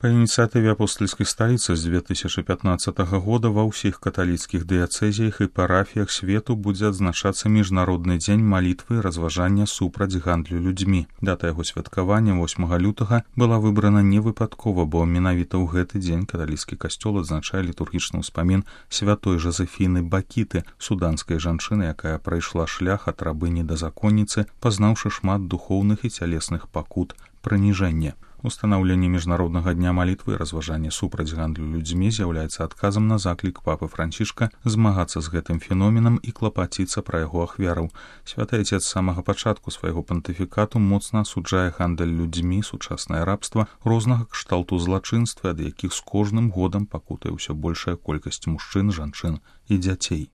Па ініцыятыве апостальскай сталіцы з 2015 года ва ўсіх каталіцкіх дыяцэзіях і парафіях свету будзе адзначацца міжнародны дзень малітвы і разважання супраць гандлю людзьмі. Дата яго святкавання 8 лютага была выбрана не выпадкова, бо менавіта ў гэты дзень каталіцкі касцёл адзначае літургічны ўспамін святой Жазефіны Бакіты, суданскай жанчыны, якая прайшла шлях ад рабыні да законніцы, пазнаўшы шмат духоўных і цялесных пакут прыніжэння. Устанаўленне міжнароднага дня малітвы і разважання супраць гандлю людзьмі з'яўляецца адказам на заклік папы Францішка змагацца з гэтым феноменам і клапаціцца пра яго ахвяраў. Святы Отец з самага пачатку свайго пантыфікату моцна асуджае гандаль людзьмі, сучаснае рабства, рознага кшталту злачынствы, ад якіх з кожным годам пакутае ўсё большая колькасць мужчын, жанчын і дзяцей.